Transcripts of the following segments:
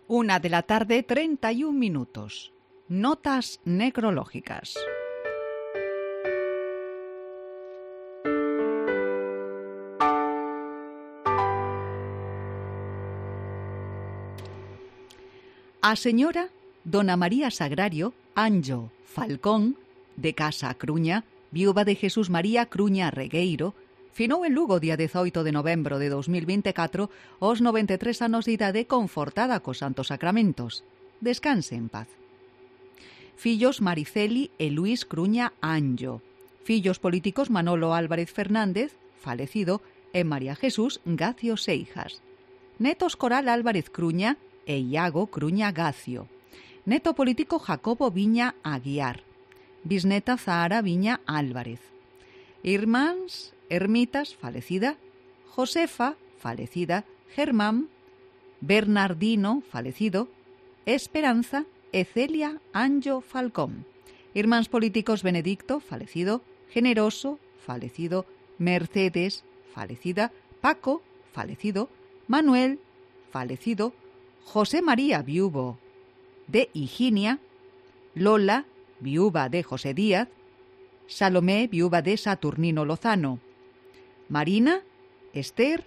1 de la tarde, 31 minutos. Notas necrológicas. A señora Dona María Sagrario Anjo Falcón, de Casa Cruña, viúva de Jesús María Cruña Regueiro, finou en Lugo día 18 de novembro de 2024 aos 93 anos de idade, confortada cos santos sacramentos. Descanse en paz. Fillos Mariceli e Luís Cruña Anjo. Fillos políticos Manolo Álvarez Fernández, falecido, e María Jesús Gacio Seijas. Netos Coral Álvarez Cruña e Iago Cruña Gacio. Neto político Jacobo Viña Aguiar. Bisneta Zahara Viña Álvarez. Irmáns Ermitas, falecida. Josefa, falecida. Germán. Bernardino, falecido. Esperanza e Celia Anjo Falcón. Irmáns políticos Benedicto, falecido. Generoso, falecido. Mercedes, falecida. Paco, falecido. Manuel, falecido. José María, viuvo de Higinia. Lola, viuva de José Díaz. Salomé, viuva de Saturnino Lozano. Marina, Esther,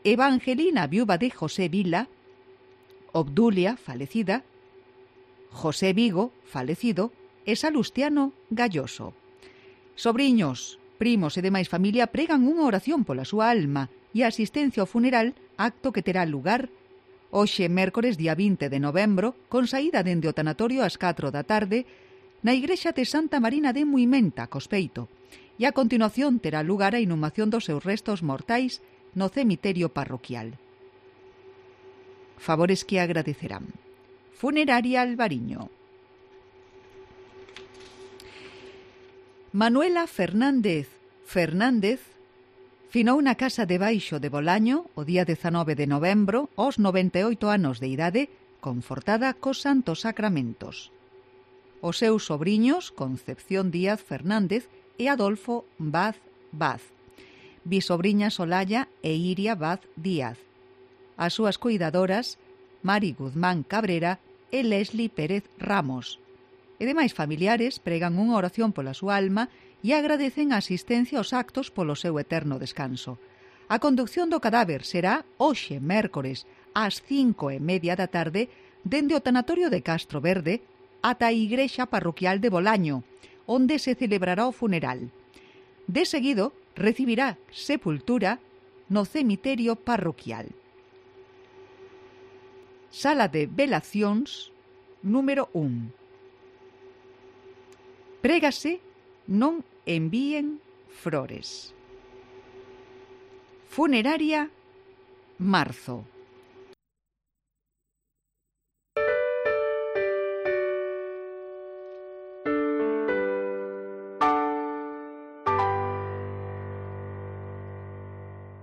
Evangelina, viuva de José Vila. Obdulia, falecida. José Vigo, falecido, e Salustiano Galloso. Sobriños, primos e demais familia pregan unha oración pola súa alma e a asistencia ao funeral, acto que terá lugar hoxe, mércores, día 20 de novembro, con saída dende o tanatorio ás 4 da tarde, na igrexa de Santa Marina de Muimenta, Cospeito, e a continuación terá lugar a inhumación dos seus restos mortais no cemiterio parroquial. Favores que agradecerán. Funeraria Albariño. Manuela Fernández finou na casa de baixo de Bolaño o día 19 de novembro aos 98 anos de idade, confortada cos santos sacramentos. Os seus sobriños Concepción Díaz Fernández e Adolfo Vaz, bisobriñas Olalla e Iria Vaz Díaz. As súas cuidadoras Mari Guzmán Cabrera e Leslie Pérez Ramos. E demais familiares pregan unha oración pola súa alma e agradecen a asistencia aos actos polo seu eterno descanso. A conducción do cadáver será hoxe, mércores, ás 5:30 da tarde, dende o tanatorio de Castro Verde ata a igrexa parroquial de Bolaño, onde se celebrará o funeral. De seguido, recibirá sepultura no cemiterio parroquial. Sala de velacións número 1. Prégase non envíen flores. Funeraria Marzo.